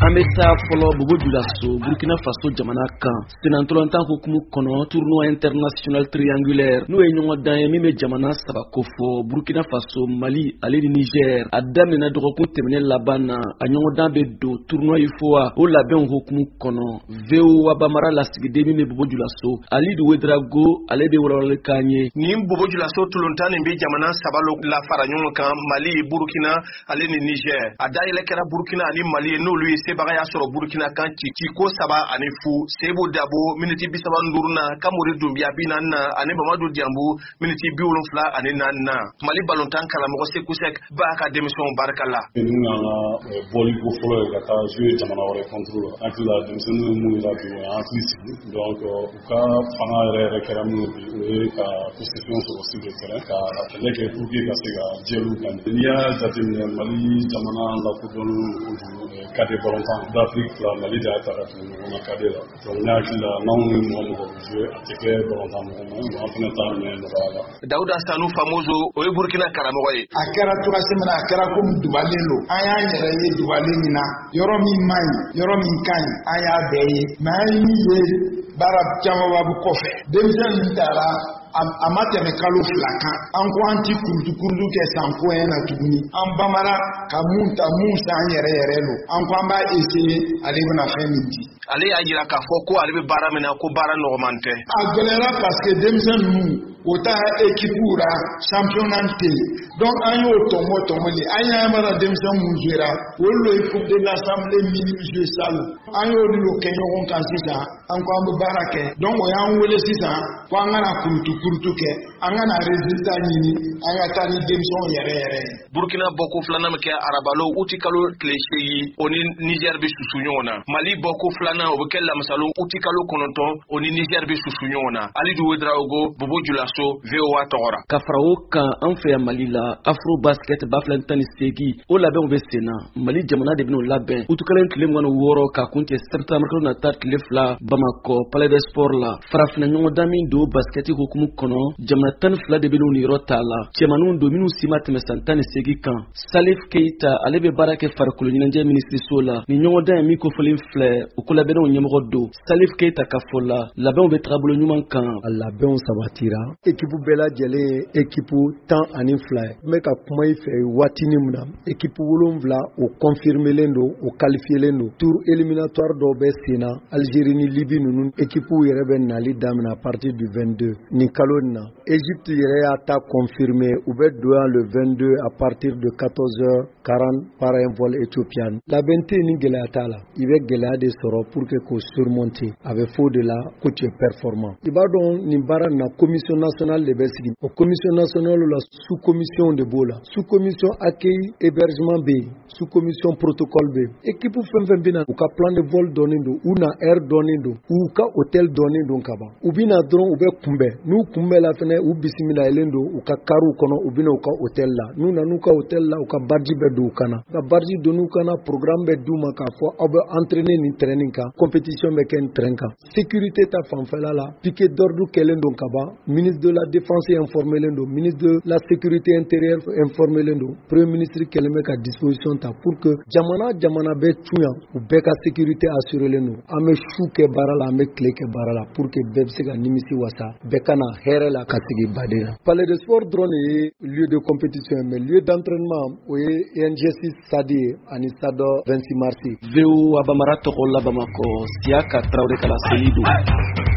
An bɛ taa fɔlɔ Bobo Julaso, Burkina Faso jamana kan. Senatɔlɔntan hukumu kɔnɔ, tournoi international triangulaire, n'o ye ɲɔgɔndan ye min bɛ jamana saba kofɔ, Burkina Faso, Mali ale ni Niger, a daminɛ dɔgɔkun tɛmɛnen laban na. A ɲɔgɔndan bɛ don tournoi UFOA o labɛnw hukumu kɔnɔ. VOA Bambara lasigiden min bɛ Bobo Julaso, Alidu Wedrago, ale bɛ walawalali k'an ye. Nin Bobo Julaso tulontan nin bɛ jamana saba lo la fara ɲɔgɔn kan, Mali, Burukina ale ni Niger. A dayɛlɛ kɛra Burukina ani Mali ye, n'olu ye sebagaya sɔrɔ Burukina kan ci ciko 3-0. Sebu Dabo miniti 35 na, Kamori Dunbiya 40 na, ani Mamadu Dianbu miniti 74 na. Mali balontan karamɔgɔ Seku Sɛk b'a ka denmisɛnw barika la. Ninnu y'an ka bɔli ko fɔlɔ ye ka taa jouer jamana wɛrɛ contre la. An hakili la, denmisɛnninw ye mun yira bi, o y'an hakili sigi. Donc u ka fanga yɛrɛ yɛrɛ kɛra min ye bi, o ye ka possession sɔrɔ sur le terrain, ka kɛlɛ kɛ pour que ka se ka jɛliw gagner. N'i y'a jateminɛ, Mali jamana lakodɔnnen don kojugu cadet balontan d'Afrique fila, Mali de y'a ta ka tugu ɲɔgɔn na cadet la. Donc ne hakili la, n'anw ni mɔgɔ mɔgɔ bɛ jouer, a tɛ kɛ balontan mɔgɔ ma, an fana t'a minɛ nɔgɔya la. Dawuda Sanu Famozo, o ye Burukina karamɔgɔ ye. A kɛra cogoya min na, a kɛra komi dubalen don. An y'an yɛrɛ ye dubalen min na, yɔrɔ min man ɲi, yɔrɔ min ka ɲi, an y'a bɛɛ ye. Mais an ye min ye, baara camanba bɛ kɔfɛ. Denmisɛn ninnu taara, a ma tɛmɛ kalo 2 kan. An ko an ti kurutu kurutu kɛ san ko na tuguni. An bamara ka mun ta, mun san yɛrɛ yɛrɛ don. An ko an b'a essayer, ale bɛna fɛn min di. Ale y'a jira k'a fɔ ko ale bɛ baara min na, ko baara nɔgɔman tɛ. A gɛlɛyara parce que denmisɛn ninnu o ta équipe la, championnat tɛ yen. Donc an y'o tɔmɔ tɔmɔ de. An y'a mana denmisɛn mun jouera, olu le ye Coupe de l'Assemblée minime jouer salon. An y'olu lo kɛ ɲɔgɔn kan sisan. An ko an bɛ baara kɛ. Donc o y'an wele sisan ko an kana kurutu kurutu kɛ, an kana résultat ɲini, an ka taa ni denmisɛnw yɛrɛ yɛrɛ ye. Burukina bɔko filanan bɛ kɛ arabalo uti kalo tile 8, o ni Niger bɛ susu ɲɔgɔn na. Mali bɔko filanan, o bɛ kɛ lamisalo uti kalo 9, o ni Niger bɛ susu ɲɔgɔn na. Alidu Wedraogo, Bobo Julaso, VOA tɔgɔ ra. Ka fara o kan, an fɛ yan Mali la, Afro Basket 2018, o labɛnw bɛ sen na. Mali jamana de bɛn'o labɛn utukalo tile 26 ka kun cɛ septembre kalo nata tile 2, Bamakɔ, Palais des Sports la. Farafinna ɲɔgɔndan min don basketi hukumu kɔnɔ, jamana 12 de bɛn'u niyɔrɔ t'a la. Cɛmaninw don minnu si ma tɛmɛ san 18 kan. Salif Keita, ale bɛ baara kɛ farikolo ɲɛnajɛ minisiriso la. Nin ɲɔgɔndan ye min kofɔlen filɛ, o ko labɛnnaw ɲɛmɔgɔ don. Salif Keita ka fɔ la, labɛnw bɛ tagabolo ɲuman kan. A labɛnw sabatira. Ekipu bɛɛ lajɛlen ye ekipu 12 ye. N bɛ ka kuma i fɛ waatinin min na, ekipu wolonwula o confirmelen don, o qualifielen don. Tour éliminatoire dɔw bɛ sen na, Algérie ni Libye ninnu ekipuw yɛrɛ bɛ nali daminɛ à partir du 22 nin kalo nin na. Égypte yɛrɛ y'a ta confirmé, u bɛ don yan le 22 à partir de 14h40 par un vol éthiopien. Labɛn tɛ yen ni gɛlɛya t'a la. I bɛ gɛlɛya de sɔrɔ pour que k'o surmonter. A bɛ fɔ o de la ko tu es performant. I b'a dɔn, nin baara nin na, commission nationale de bɛ sigi. O commission nationale la, sous commission de b'o la. Sous commission accueil hébergement bɛ yen, sous commission protocole bɛ yen. Équipe fɛn fɛn bɛ na, u ka plan de vol dɔnnen don, u na heure dɔnnen don, u ka hôtel dɔnnen don ka ban. U bɛ na dɔrɔn, u bɛ kunbɛn. N'u kunbɛnla fɛnɛ, u bisimilayɛlen don u ka kariw kɔnɔ, u bɛ na u ka hôtel la. N'u nana u ka hôtel la, u ka badge bɛ don u kan na. U ka badge donn'u kan na, programme bɛ d'u ma k'a fɔ aw bɛ entraîner nin terrain nin kan, compétition bɛ kɛ nin terrain kan. Sécurité ta fanfɛla la, piquet d'ordre kɛlen don ka ban. Ministre de la Défense informelen don, ministre de la Sécurité intérieure informelen don. Premier ministre kɛlen bɛ ka disposition ta pour que jamana jamana bɛ cun yan, u bɛɛ ka sécurité assurélen don. An bɛ su kɛ baara la, an bɛ tile kɛ baara la pour que bɛɛ bɛ se ka nimisi wasa, bɛɛ ka na hɛrɛ la ka sigi baden na. Palais de sport dɔrɔn de ye lieu de compétition ye, mais lieu d'entraînement, o ye ENGS stade ye ani stade 26 mars. VOA Bambara tɔgɔ la, Bamakɔ, Siyaka Tarawele ka laseli don.